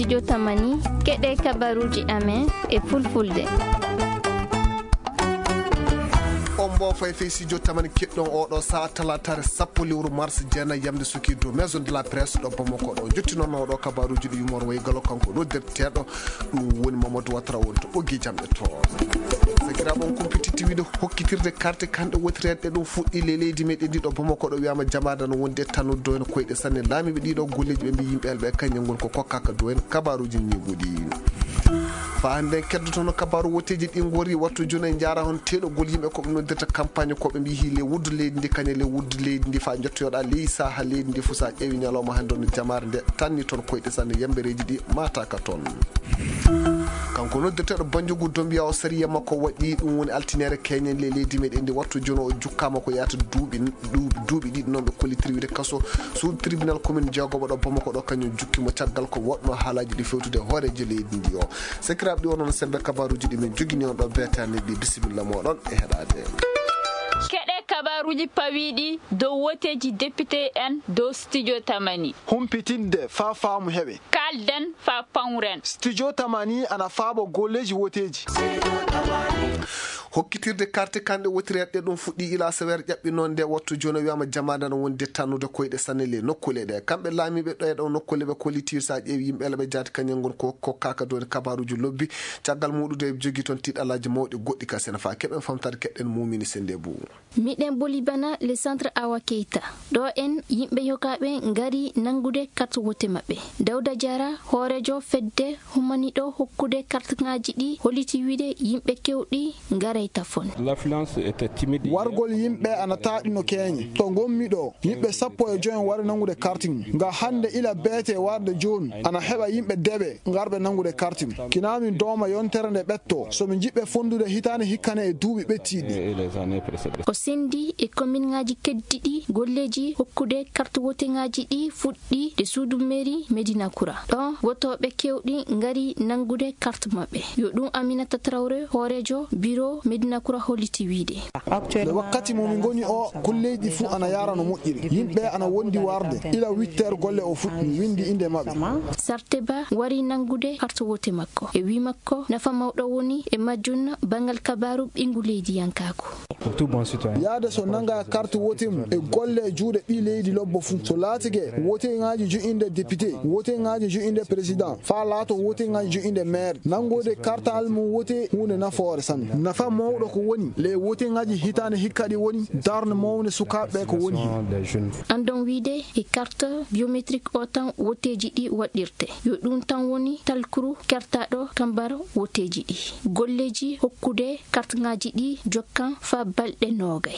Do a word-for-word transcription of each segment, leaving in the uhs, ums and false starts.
Jotamani, keɗe kabaruuji amen e fulfulde. On mbo fay fay si jotamani keɗɗon oɗo saa talaataare sappo lewru mars jeenayi yamde suki dow Maison de la Presse ɗo Bamako ɗo. Jottinono oɗo kabaruuji ɗi yumor wayi galo kanko noddirteeɗo ɗum woni Mamadou Ouattara woni to ɓoggi jamɗe to. Sakiraaɓe on kumpititti wiide hokkitirde karte kanɗe wotireeɗe ɗum fuɗɗi le leydi meɗen ndi ɗo Bamako ɗo wiyama jamaada no wondi e tannude doyen koyɗe sanne. Laamiiɓe ɗiɗo golleeji ɓe mbi yimɓe elɓe e kañum ngol ko kokkaka doyen kabaruuji ñiiɓuɗi. Fa hannde en keddotono kabaaru woteeji ɗi ngori wattu jooni en njaara hon teeɗogol yimɓe ko ɓe noddirta campagne ko ɓe mbi hi le wuddu leydi ndi kañe le wuddu leydi ndi fa jottoyoɗa ley saha leydi ndi fusa ƴeewi ñalawma hannde on jamaare nde tanni toon koyɗe sanne yambereeji ɗi mataka toon. Kanko noddirteeɗo Banjugu Dombiya o sariya makko waɗi ɗum woni altinere keñen le leydi meɗen ndi wattu jooni o jukkama ko yahata duuɓi duuɓi duuɓi ɗiɗi noon ɓe kollitiri wiide kaso sous tribunal commune jeegoɓo ɗo Bamako ɗo kañum jukki mo caggal ko woɗno haalaaji ɗi fewtude hooreejo leydi ndi o. Sakiraaɓe ɗi o noon sembe kabaruuji ɗi min jogini on ɗo beetani ɗi bisimilla moɗon e heɗade. Keɗe kabaruuji pawiiɗi dow woteeji député en dow studio Tamani. Humpitinde faa faamu heɓe. Kaalden faa pawren. Studio Tamani ana faabo golleeji woteeji. Hokkitirde karte kanɗe wotireeɗe ɗum fuɗɗi ila sewer ƴaɓɓi noon nde wattu jooni o wiyama jamaada no wondi tannude koyɗe sanne le nokkule ɗe. Kamɓe laamiiɓe ɗo e ɗo nokkule ɓe kolliti sa ƴeewi yimɓe ele ɓe jaati kañum ngon ko kokkaka dooni kabaruuji lobbi. Caggal muɗude e jogi toon tiɗalaaji mawɗi goɗɗi ka sene fa keɓen famtade keɗɗen mumini sende bu. Miɗen boli bana le centre Awa Keita. Ɗo en yimɓe yogaaɓe ngari nanngude carte wote maɓɓe. Dawda Diarra, hooreejo fedde humaniɗo hokkude kartŋaaji ɗi, holliti wiide yimɓe keewɗi ngaray tafon. Wargol yimɓe ana taaɗi no keeñe. To ngonmi ɗo, yimɓe sappo e joy wari nanngude kartiŋ. Nga hannde ila beete warde jooni, ana heɓa yimɓe deɓe ngarɓe nanngude kartiŋ. Kinaa min dooma yontere nde ɓetto, so min njiɗɓe fonndude hitaande hikkane e duuɓi ɓettiiɗi. O senndi e kominŋaaji keddiɗi golleeji hokkude karte woteŋaaji ɗi fuɗɗi e suudu mairie Medina Kura. Ɗon wotooɓe keewɗi ngari nanngude karte maɓɓe. Yo ɗum Aminata Traoré, hooreejo biro Medina Kura holliti wiide. E wakkati mo min ngoni o, golleeji fuu ana yaara no moƴƴiri. Yimɓe ana wondi warde. Ila huit heures golle o fuɗɗi, mi winndi innde maɓɓe. Sarte Ba wari nanngude karte wote makko. E wii makko, nafa mawɗo woni e majjum banngal kabaaru ɓiyngu leydiyankaaku. Yaade so nannga karte wote mum e golle e juuɗe ɓii leydi lobbo fuu. So laatike woteŋaaji jo'inde député, woteŋaaji jo'inde président, faa laato woteŋaaji jo'inde maire. Nanngude kartal mum wote huunde nafoore sanne. Nafa mawɗo ko woni, le woteŋaaji hitaande hikka ɗi woni darnde mawnde sukaaɓe ɓe ko woni heen. Anndon wiide e carte biométrique o tan woteeji ɗi waɗirte. Yo ɗum tan woni talkuru kertaaɗo kambar woteeji ɗi. Golleeji hokkude kartŋaaji ɗi jokkan faa balɗe noogay.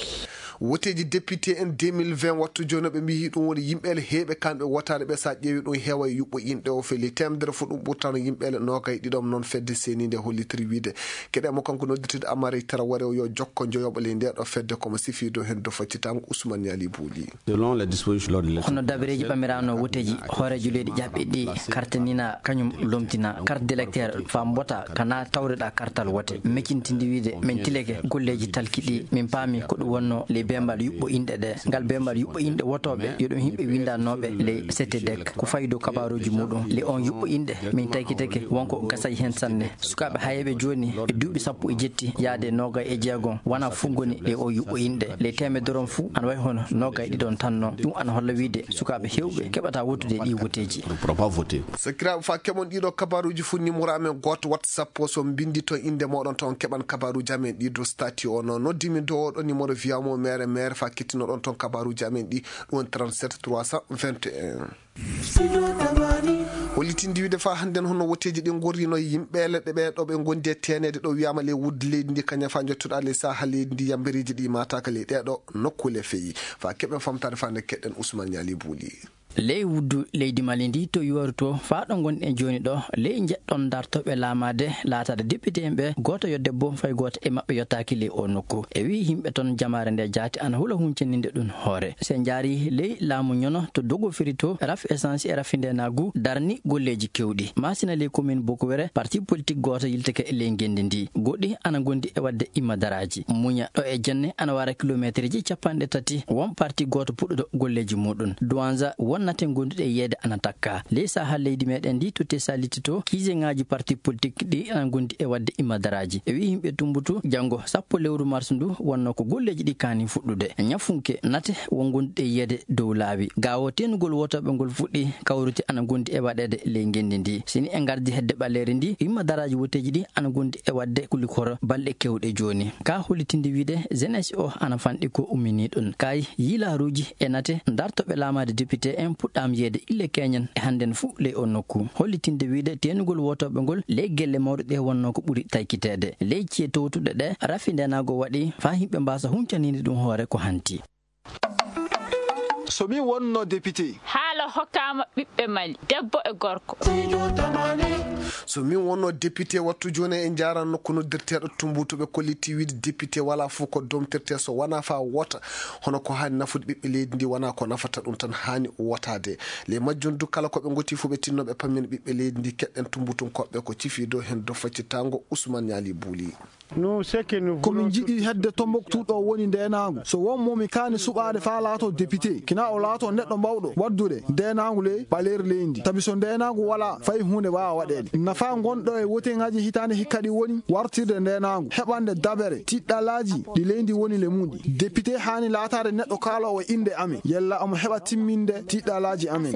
Woteeji député en deux mille vingt wattu jooni ɓe mbiyi ɗum woni yimɓe ele heeɓe kamɓe wotaade ɓe, so a ƴeewi ɗum heewa e yuɓɓo inɗe o feli teemedere fof ɗum ɓurtano yimɓe ele noogay ɗiɗom noon fedde seniinde hollitiri wiide. Keɗe mo kanko noddirteeɗo Amari Taraware o yo jokko joyoɓo ley nde ɗo fedde komo sifiido heen do faccitango Ousmane Niali Bouli. Selon les dispositions de l'ordre électoral. Hono dabareeji ɓamiraano woteeji hooreejo leydi jaɓɓiɗi kartanina kañum lomtina carte d'électeur faa mbota kana tawreɗa kartal wote. Mecintindi wiide min tilike golleeji talki ɗi min paami ko ɗum wonno ley beembal yuɓɓo inɗe ɗe. Ngal beembal yuɓɓo inɗe wotooɓe yo ɗum yimɓe winndanooɓe ley C T D E C. Ko fayi dow kabaaruuji muɗum ley on yuɓɓo inɗe min taykitake wonko gasay heen sanne. Sukaaɓe hayeeɓe jooni e duuɓi sappo e jetti yaade noogay e jeegom wona fuu ngoni e o yuɓɓo inɗe. Ley teemedere on fuu ana wayi hono noogay ɗiɗon tan non. Ɗum ana holla wiide sukaaɓe heewɓe keɓata wottude e ɗii woteeji. Sakiraaɓe, faa keɓon ɗiɗo kabaaruuji fuu, nimoro amen gooto WhatsApp o, so mbinndi toon innde mooɗon toon keɓan kabaaruuji amen ɗi dow statut o. Noon noddimi dow oɗo nimoro wiyamo mere mere faa kettinoɗon toon kabaaruuji amen ɗi, ɗum woni trente-sept trois cent vingt et un. Hollitinde wiide faa hannden hono woteeji ɗi ngorrino yimɓe leɗɗe ɓe ɗo ɓe ngondi e teeneede ɗo wiyaama ley wudde leydi ndi kañum faa njottuɗaa ley saha leydi ndi yambereeji ɗi maataaka ley ɗee ɗo nokkuule feyi. Faa keɓen famtaade faa nde keɗɗen Ousmane Niali Buuli. Ley wuddu leydi Mali ndi to yooru to faa ɗo ngonɗen jooni ɗo ley njeɗɗon dartooɓe laamaade laataade député en ɓe gooto yo debbo fay gooto e maɓɓe yottaaki ley o nokku. E wii yimɓe toon jamaare nde jaati ana hula huncindinde ɗum hoore. So en njaarii ley laamu ñono to Dogofiri to, raf essence e rafindeenaagu darni golleeji keewɗi. Maasina ley commune Bokuwere, parti politique gooto yiltike ley ngenndi ndi. Goɗɗi ana ngondi e waɗde immadaraaji. Muña ɗo e jenne ana wara kilomeeterji capanɗe tati. Won parti gooto puɗɗuɗo golleeji muɗum. Duwanza won Nate ngonduɗe e yeeyde ana takka. Ley sahaa leydi meɗen ndi, to te saliti to, kiiseŋaaji parti politik ɗi ana ngondi e waɗde imadaraaji. E wi'i yimɓe Tumbutu, janngo sappo lewru mars ndu wonno ko golleeji ɗi kaani fuɗɗude. Ñafunke nate won ngonduɗe e yeeyde dow laawi. Gaawo teenugol wotooɓe ngol fuɗɗi kawrude ana ngondi e waɗeede ley ngenndi ndi. Sini e ngardi hedde ɓaleeri ndi, imadaraaji woteeji ɗi ana ngondi e waɗde kulikoro balɗe kewɗe jooni. Ka hollitinde wiide, jeunesse o ana fanɗi ko ummini ɗon. Kay yiilaaruuji e nate dartoɓe laamaade député en puɗɗaama yeeyde ille keñen e hannden fuu ley o nokku. Hollitinde wiide teenugol wotooɓe ngol ley gelle mawɗe ɗe wonno ko ɓuri taykiteede. Ley ci'e towtuɗe ɗe, rafi ndeenaagu waɗi faa yimɓe mbaasa huncaniinde ɗum hoore ko hanti. So min wonno député. Haala hokkaama ɓiɓɓe Mali, debbo e gorko. So min wonno député, wattu jooni en njaaran nokku noddirteeɗo Tumbutu, ɓe kolliti wiide député walaa fof ko domtirtee so wonaa faa wota. Hono ko haani nafude ɓiɓɓe leydi ndi wonaa ko nafata ɗum tan haani wotaade. Ley majjum du kala ko ɓe ngoti fof ɓe tinno ɓe pammina ɓiɓɓe leydi ndi, keɗɗen Tumbutunkooɓe ko cifiido heen do faccitaango Ousmane Ñaali Buuli. Ko min njiɗi hedde Tombouctou ɗo woni ndeenaangu. So won mo mi kaani suɓaade faa laatoo député, kina o laatoo neɗɗo mawɗo waddude ndeenaangu ley ɓaleeri leydi. Tabi so ndeenaangu walaa, fay huunde waawa waɗeede. Nafaa ngonɗo e woteŋaaji hitaande hikka ɗi woni wartirde ndeenaangu, heɓande dabere, tiɗɗalaaji ɗi leydi woni le muɗi. Député haani laataade neɗɗo kaaloowo innde amen, yalla omo heɓa timminde tiɗɗalaaji amen.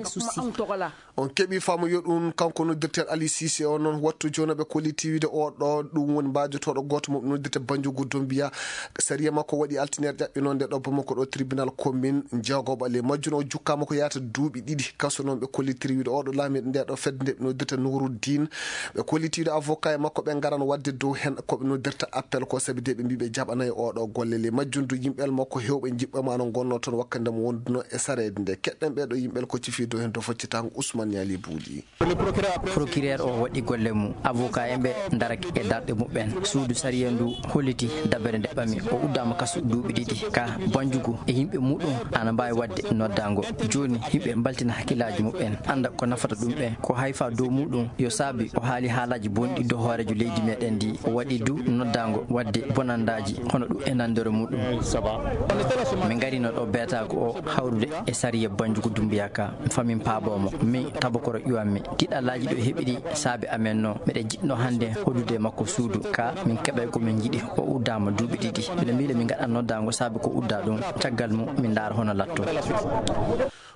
On keɓi faamu yo ɗum, kanko noddirteeɗo Ali Cissé o noon, wattu jooni ɓe kolliti wiide o ɗo, ɗum woni mbaajotooɗo gooto mo noddirte Banjugu Dumbiya. Sariya makko waɗi altine ƴaɓɓinoo nde ɗo Bamako ɗo tribunal commune jeegoɓa ley majjum o jukkaama ko yaata duuɓi ɗiɗi kaso. Noon ɓe kollitiri wiide o ɗo laamiiɗo nde ɗo fedde nde ɓe noddirta Nuruddin. Ɓe kolliti wiide avocat e makko ɓe ngaran waɗde dow heen ko ɓe noddirta appel ko sabi de ɓe mbii ɓe jaɓanaay o ɗo golle. Ley majjum du yimɓe makko heewɓe njiɓɓe ma no ngonnoo toon wakkati nde mo wonduno e sareede nde. Keɗɗen ɓee ɗo yimɓe ko cifi dow heen to foccitaango Ousmane Ñaali Buuli. Procureur o waɗi golle mum, avocat en ɓe ndarake e darɗe muɓɓen. Suudu sariya ndu holliti dabere nde ɓami. O uddaama kaso duuɓi ɗiɗi. Ka Banjugu e yimɓe muɗum ana mbaawi waɗde noddaango. Jooni yimɓe mbaltina hakkillaaji muɓɓen, annda ko nafata ɗum ɓe. Ko hayfa dow muɗum yo saabi o haali haalaaji bonɗi dow hooreejo leydi meɗen ndi. O waɗi du noddaango waɗde bonandaaji hono ɗum e nanndere muɗum. Min ngarino ɗo beetaago o hawrude e sariya Banjugu Dumbiya ka. Famin paaboo mo. Min tabakoro ƴuwanmi. Tiɗɗalaaji ɗo heɓi ɗi saabe amen no. Miɗen jiɗno hannde hoɗude e makko suudu. Ka min keɓay ko min njiɗi. O uddaama duuɓi ɗiɗi. Miɗo miila min ngaɗa noddaango saabe ko uddaa ɗum. Caggal mum min ndaara hono latto.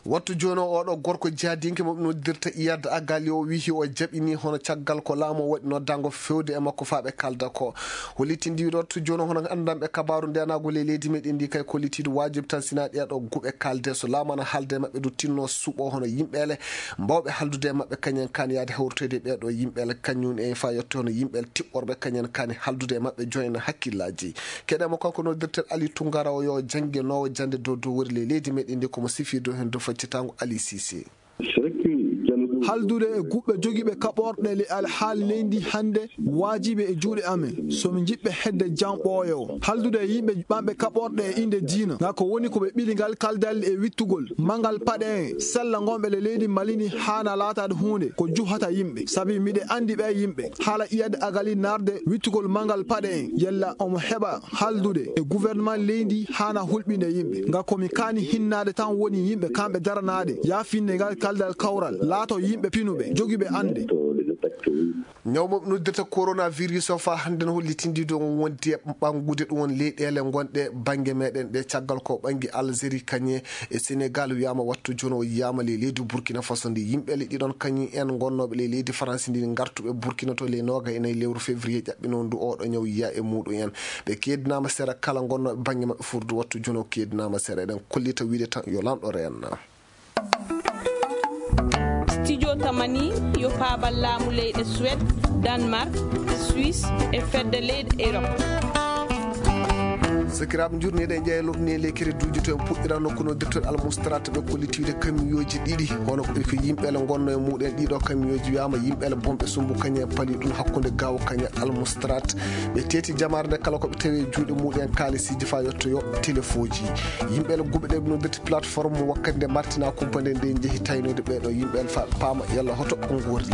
Wattu jooni o, oɗo gorko jaadinke mo ɓe noddirta Iyad Agali o wihi o jaɓini hono caggal ko laamu o waɗi noddaango fewde e makko faa ɓe kalda ko. Hollitindi wattu jooni hono anndanɓe kabaaru ndeenaagu ley leydi meɗen ndi kay kollitiidu waajib tan sinaa ɗee ɗo guɓe kalde so laamu ana haalde e maɓɓe du tinno suɓo hono yimɓeele mbawɓe haldude e maɓɓe kañen kaani yaade hawritoyde ɓee ɗo yimɓeele kañum e faa yotte hono yimɓeele tiɓɓorɓe kañen kaani haldude e maɓɓe joyna hakkillaaji. Keɗe mo kanko noddirtel Ali Tungara o yo jannginoowo jannde dow dow wori ley leydi meɗen ndi ko mo sifi dow heen dow faccitaango Ali Cissé. Haldude e guɓɓe jogiiɓe kaɓorɗe le alhaali leydi hannde waajibi e juuɗe amen. So mi jiɓɓe hedde jam ɓooyo. Haldude e yimɓe ɓamɓe kaɓorɗe e innde diina. Ngaa ko woni ko ɓe ɓili ngal kaldal e wittugol. Mangal paɗe en, sella ngonɓe le leydi Mali ni haana laataade huunde ko juhata yimɓe. Sabi miɗe anndi ɓe yimɓe. Haala Iyad Agali narde wittugol mangal paɗe en. Yalla omo heɓa haldude e gouvernement leydi haana hulɓinde yimɓe. Nga ko mi kaani hinnaade tan woni yimɓe kamɓe daranaade yaafinde ngal kaldal kawral, laato yimɓe pinuɓe, jogiiɓe annde. Ñaw mo noddirta coronavirus o faa hannde no hollitindi ɗum wonde ɓanngude ɗum won leyɗeele ngonɗe bannge meɗen ɗe caggal ko ɓanngi Algérie kañe e Sénégal wiyaama wattu jono o yiyaama ley leydi Burkina Faso ndi yimɓe le ɗiɗon kañi en ngonnooɓe ley leydi France ndi ngartuɓe Burkina to ley nooga e nayi lewru février ɓe nondu oɗo ñaw yiya e muɗum en. Ɓe keedinaama sera kala ngonnooɓe bannge maɓɓe furdu wattu jono keedinaama sera. Eɗen kollita wiide tan yo lanɗo reenna. Studio Tamani yo paabal laamu leyɗe Suède, Danemark, Suisse e fedde leyɗe Europe. Sakiraaɓe njurniiɗe e ƴeeloɓe ni e lekkere duuji to en puɗɗira nokku no dettoɗe almustrat ɓe kollitiiɗe kamiyooji ɗiɗi. Hono ko yimɓe le ngonno e muɗen ɗiɗo kamiyooji wiyaama yimɓe le bomɓe sumbu kañe pali ɗum hakkunde gawo kañe almustrat. Ɓe teeti jamaare nde kala ko ɓe tawi e juuɗe muɗen kaalisiiji faa yottoyo telefoji. Yimɓe le guɓe ɗe ɓe noddirti plateforme wakkati nde martina kumpa nde nde jehi taynoyde ɓeeɗo yimɓe le faa paama yalla hoto o ngorri.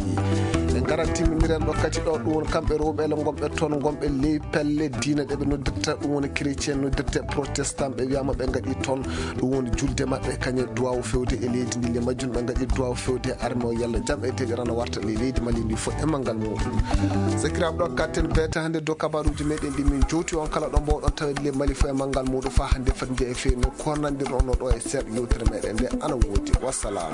Ngara timminiren ɗo kadi ɗo, ɗum woni kamɓe rewɓe ele gomɓe toon, gomɓe ley pelle diina ɗe ɓe noddirta, ɗum woni chrétien noddirte protestant, ɓe wiyama ɓe ngaɗi toon, ɗum woni julde maɓɓe kañe duwawu fewde e leydi ndi. Le majjum ɓe ngaɗi duwawu fewde e arme o, yalla jam e deeƴere ana warta ley leydi Mali ndi fof e manngal muɗum. Sakiraaɓe, ɗo katten beeta hannde dow kabaruuji meɗen ɗi min jowti on kala ɗo mbawɗon tawede le Mali fof e manngal muɗum fa hannde fati nde e feere nde, ko nandirɗon ɗo e seeɗa yewtere meɗen nde ana woodi. Wassalam.